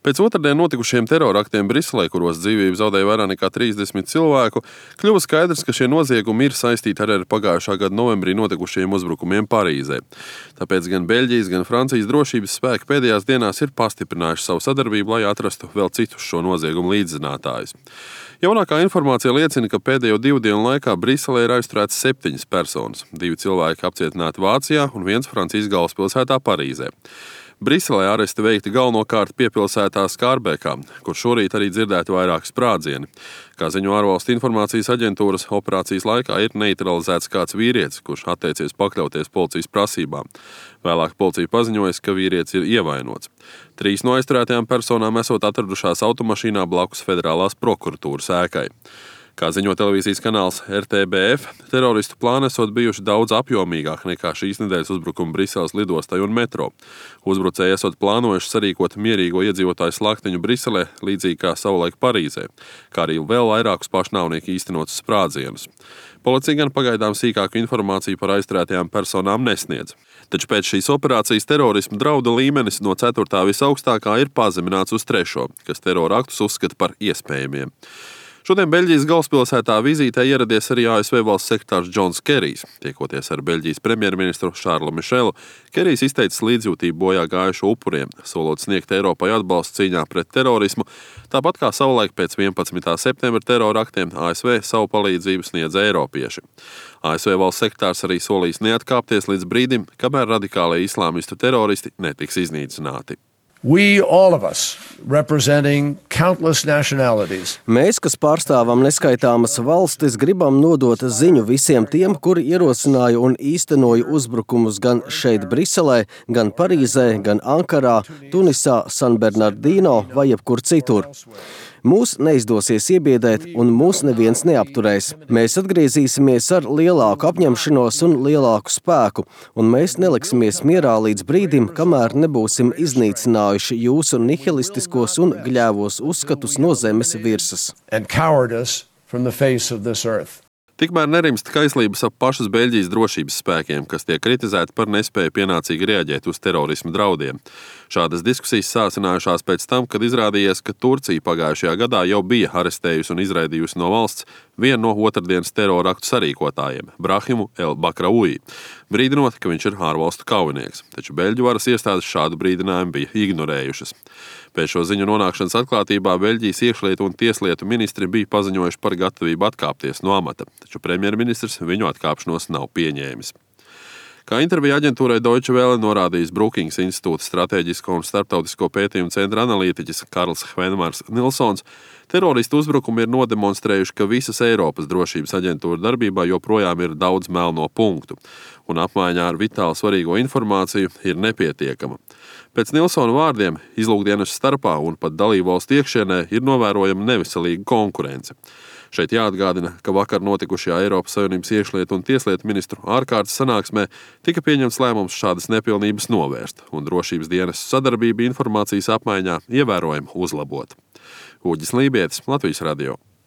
Pēc otrdien notikušiem teroraktiem Briselē, kuros dzīvību zaudēja vairāk nekā 30 cilvēku, kļuva skaidrs, ka šie noziegumi ir saistīti arī ar pagājušā gada novembrī notikušajiem uzbrukumiem Parīzē. Tāpēc gan Beļģijas, gan Francijas drošības spēki pēdējās dienās ir pastiprinājuši savu sadarbību, lai atrastu vēl citus šo noziegumu līdzzinātājus. Jaunākā informācija liecina, ka pēdējo 2 dienu laikā Briselē ir aizturēts 7 personas. 2 cilvēki apcietināti Vācijā un 1 Francijas galvaspilsētā Parīzē. Briselē aresti veikti galvenokārt piepilsētā Skārbekā, kur šorīt arī dzirdēti vairāki sprādzieni. Kā ziņo ārvalstu informācijas aģentūras, operācijas laikā ir neutralizēts kāds vīrietis, kurš atteicies pakļauties policijas prasībām. Vēlāk policija paziņoja, ka vīrietis ir ievainots. 3 no aizturētajām personām esot atradušās automašīnā blakus Federālās prokuratūras ēkai. Kā ziņo televīzijas kanāls RTBF, teroristu plāni esot bijuši daudz apjomīgāk nekā šīs nedēļas uzbrukumi Briseles lidostai un metro. Uzbrucēji esot plānojuši sarīkot mierīgo iedzīvotāju slaktiņu Briselē, līdzīgi kā savulaik Parīzē, kā arī vēl vairākus pašnāvnieku īstenotus sprādzienus. Policija gan pagaidām sīkāku informāciju par aizturētajām personām nesniedz. Taču pēc šīs operācijas terorisma drauda līmenis no 4. visaugstākā ir pazemināts uz 3., kas terora aktus uzskata par iespējamiem. Šodien Beļģijas galvaspilsētā vizītē ieradies arī ASV valsts sekretārs Džons Kerijs. Tiekoties ar Beļģijas premjerministru Šārlu Mišelu, Kerijs izteicis līdzjūtību bojā gājušo upuriem, solot sniegt Eiropai atbalstu cīņā pret terorismu, tāpat kā savulaik pēc 11. septembra teroraktiem ASV savu palīdzību sniedz eiropieši. ASV valsts sekretārs arī solīs neatkāpties līdz brīdim, kamēr radikālie islāmistu teroristi netiks iznīcināti. We, all of us, representing countless nationalities. Mēs, kas pārstāvam neskaitāmas valstis, gribam nodot ziņu visiem tiem, kuri ierosināja un īstenoja uzbrukumus gan šeit Briselē, gan Parīzē, gan Ankarā, Tunisā, San Bernardino vai jebkur citur. Mūs neizdosies iebiedēt un mūs neviens neapturēs. Mēs atgriezīsimies ar lielāku apņemšanos un lielāku spēku, un mēs neliksimies mierā līdz brīdim, kamēr nebūsim iznīcinājuši jūsu nihilistiskos un gļēvos uzskatus no zemes virsmas. Tikmēr nerimst kaislības ap pašas Beļģijas drošības spēkiem, kas tiek kritizēti par nespēju pienācīgi reaģēt uz terorisma draudiem. Šādas diskusijas sācinājušās pēc tam, kad izrādījies, ka Turcija pagājušajā gadā jau bija arestējusi un izraidījusi no valsts vienu no otrdienas teroraktu sarīkotājiem, Brahimu El Bakraoui, brīdinot, ka viņš ir ārvalstu kaujinieks. Taču Beļģu varas iestādes šādu brīdinājumu bija ignorējušas. Pēc šo ziņu nonākšanas atklātībā Beļģijas iekšlietu un tieslietu ministri bija paziņojuši par gatavību atkāpties no amata, taču premjerministrs viņu atkāpšanos nav pieņēmis. Kā intervija aģentūrai Deutsche Welle norādījis Brookings institūta strateģisko un starptautisko pētījumu centra analītiķis Karls Hvenmars Nilsons, teroristu uzbrukumi ir nodemonstrējuši, ka visas Eiropas drošības aģentūra darbībā joprojām ir daudz melno punktu, un apmaiņā ar vitāli svarīgo informāciju ir nepietiekama. Pēc Nilsona vārdiem, izlūkdienestu starpā un pat dalībvalstu iekšienē ir novērojama neveselīga konkurence. Šeit jāatgādina, ka vakar notikušajā Eiropas Savienības iekšlietu un tieslietu ministru ārkārtas sanāksmē tika pieņemts lēmums šādas nepilnības novērst, un drošības dienestu sadarbību informācijas apmaiņā ievērojami uzlabot. Uģis Lībietis, Latvijas radio.